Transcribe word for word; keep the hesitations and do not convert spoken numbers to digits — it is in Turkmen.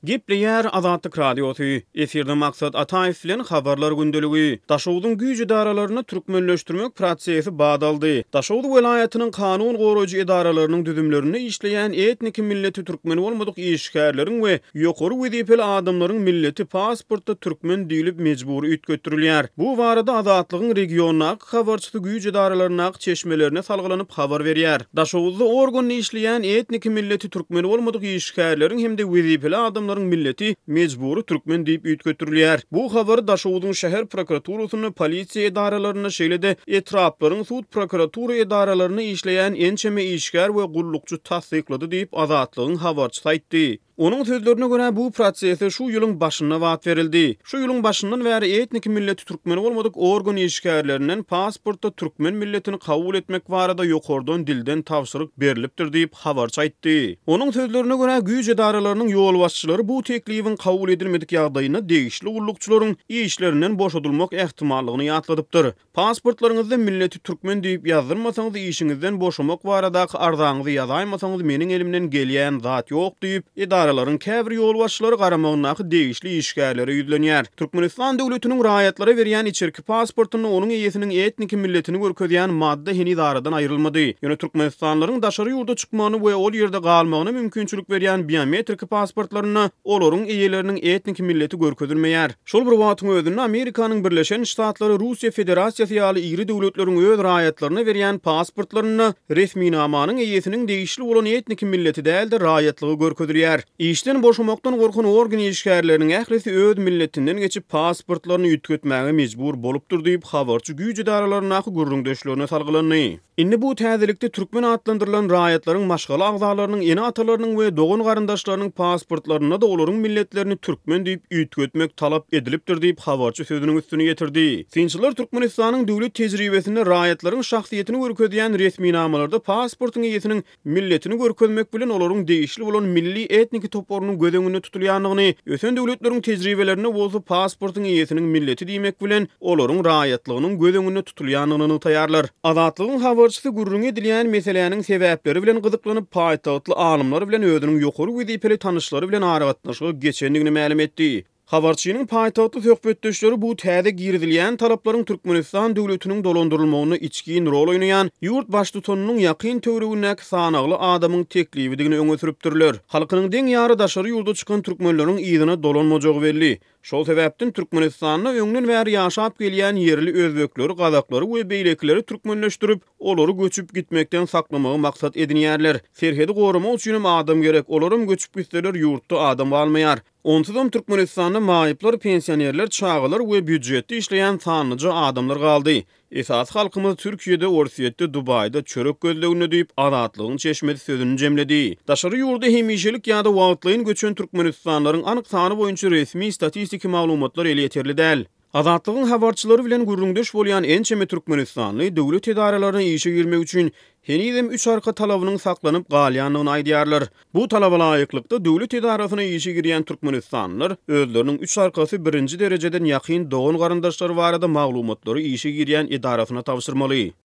Gepleýär Azatlyk Radiosy, efirde Maksat Ataýew bilen Habarlar gündeligi. Daşogzuň güýç edaralarynda türkmenleşdirmek prosesi bat aldy. Daşoguz welaýatynyň kanun goraýjy edaralarynyň düzümlerinde işleýän etniki milleti türkmen bolmadyk işgärleriň we ýokary wezipeli adamlaryň milleti pasportda türkmen diýlip mejbury üýtgetdirilýär. Bu barada Azatlygyň regiondaky habarçysy güýç edaralaryndaky çeşmelerine salgylanyp habar berýär. Daşoguzda organda işleýän etniki milleti türkmen bolmadyk işgärleriň hem-de wezipeli adamlaryň milleti mejbury türkmen diýip üýtgetdirilýär. Bu habary Daşoguzyň şäher prokuraturasynda, polisiýa edaralarynda, şeýle-de etraplaryň sud prokuratura edaralarynda işleýän ençeme işgär we gullukçy tassyklady diýip, Azatlygyň habarçysy aýtdy. Onuň sözlerine görä, bu prosese şu ýylyň başynda bat berildi. Şu ýylyň başyndan bäri etniki milleti türkmen bolmadyk organ işgärlerinden pasportda türkmen milletini kabul etmek barada ýokardan dilden tabşyryk berlipdir diýip, habarçy aýtdy. Onuň sözlerine görä, güýç edaralarynyň ýolbaşçylary bu teklibiň kabul edilmedik ýagdaýynda degişli gullukçylaryň işlerinden boşadylmak ähtimallygyny ýatladypdyr. Pasportlaryňyzda milleti türkmen diýip ýazdyrmasaňyz, işiňizden boşamak baradaky arzaňyzy ýazaýmasaňyz meniň elimden gelýän zat ýok diýip, edaralaryň käbir ýolbaşçylary garamagyndaky degişli işgärlere ýüzlenýär. Türkmenistan döwletiniň raýatlara berýän içerki pasportynda onuň eýesiniň etniki milletini görkezýän madda heniz aradan aýrylmady. Ýöne türkmenistanlylaryň daşary ýurda çykmagyny we ol ýerde galmagyna mümkinçilik berýän biometriki pasportlarynda olaryň eýeleriniň etniki milleti görkezilmeýär. Şol bir wagtyň özünde Amerikanyň Birleşen Ştatlary, Russiýa Federasiýasy ýaly iri döwletleriň öz raýatlaryna berýän pasportlarynda resminamanyň eýesiniň degişli bolan etniki milleti däl-de raýatlygy görkezilýär. Işden boşamakdan gorkan organ işgärleriniň ählisi öz milletinden geçip pasportlaryny üýtgetmäge mejbur bolupdyr diýip, habarçy güýç edaralaryndaky gürrüňdeşlerine salgylandy. Indi bu täzelikde türkmen atlandyrylan raýatlaryň maşgala agzalarynyň, ene-atalarynyň we dogan-garyndaşlarynyň pasportlarynda-da olaryň milletlerini türkmen diýip üýtgetmek talap edilipdir diýip, habarçy sözüniň üstüni ýetirdi. Synçylar Türkmenistanyň döwlet tejribesinde raýatlaryň şahsyýetini görkezýän resminamalarda pasportyň eýesiniň milletini görkezmek bilen olaryň degişli bolan milli etniki toparynyň göz öňünde tutulýandygyny, ösen döwletleriň tejribelerinde bolsa pasportyň eýesiniň milleti diýmek bilen olaryň raýatlygynyň göz öňünde tutulýandygyny nygtaýarlar. Azatlygyň habarçysy gürrüňi edilýän meseläniň sebäpleri bilen gyzyklanyp, paýtagtly alymlar bilen özüniň ýokary wezipeli tanyşlary bilen aragatnaşyga geçendigini mälim etdi. Habarçynyň paýtagtly söhbetdeşleri bu täze girizilýän talaplaryň Türkmenistan döwletiniň dolandyrylmagynda içgin rol oýnaýan ýurt baştutanynyň ýakyn töweregindäki sanagly adamyň teklibidigini öňe sürüpdirler. Halkynyň deň ýary daşary ýurda çykan türkmenleriň yzyna dolanmajagy belli. Şol sebäpden Türkmenistanda öňden bäri ýaşap gelýän ýerli özbekleri, gazaklary we beýlekileri türkmenleşdirip, olary göçüp gitmekden saklamagy maksat edinýärler. Serhedi goramak üçinem adam gerek, olaram göçüp gitseler ýurtda adam galmaýar. Onsuzam Türkmenistanda maýyplar, pensionerler, çagalar we býujetde işleýän sanlyja adamlar galdy. Esasy halkymyz Türkiýede, Orsýetde, Dubaýda çörek gözleginde diýip, Azatlygyň çeşmesi sözüni jemledi. Daşary ýurda hemişelik ýa-da wagtlaýyn göçen türkmenistanlylaryň anyk sany boýunça resmi statistiki maglumatlar elýeterli däl. Azatlygyň habarçylary bilen gürrüňdeş bolýan ençeme türkmenistanly döwlet edaralaryna işe girmek üçin henizem üç arka talabynyň saklanyp galýandygyny aýdýarlar. Bu talaba laýyklykda, döwlet edarasyna işe girýän türkmenistanlylar özleriniň üç arkasy birinji derejeden ýakyn dogan-garyndaşlary barada maglumatlary işe girýän edarasyna tabşyrmaly.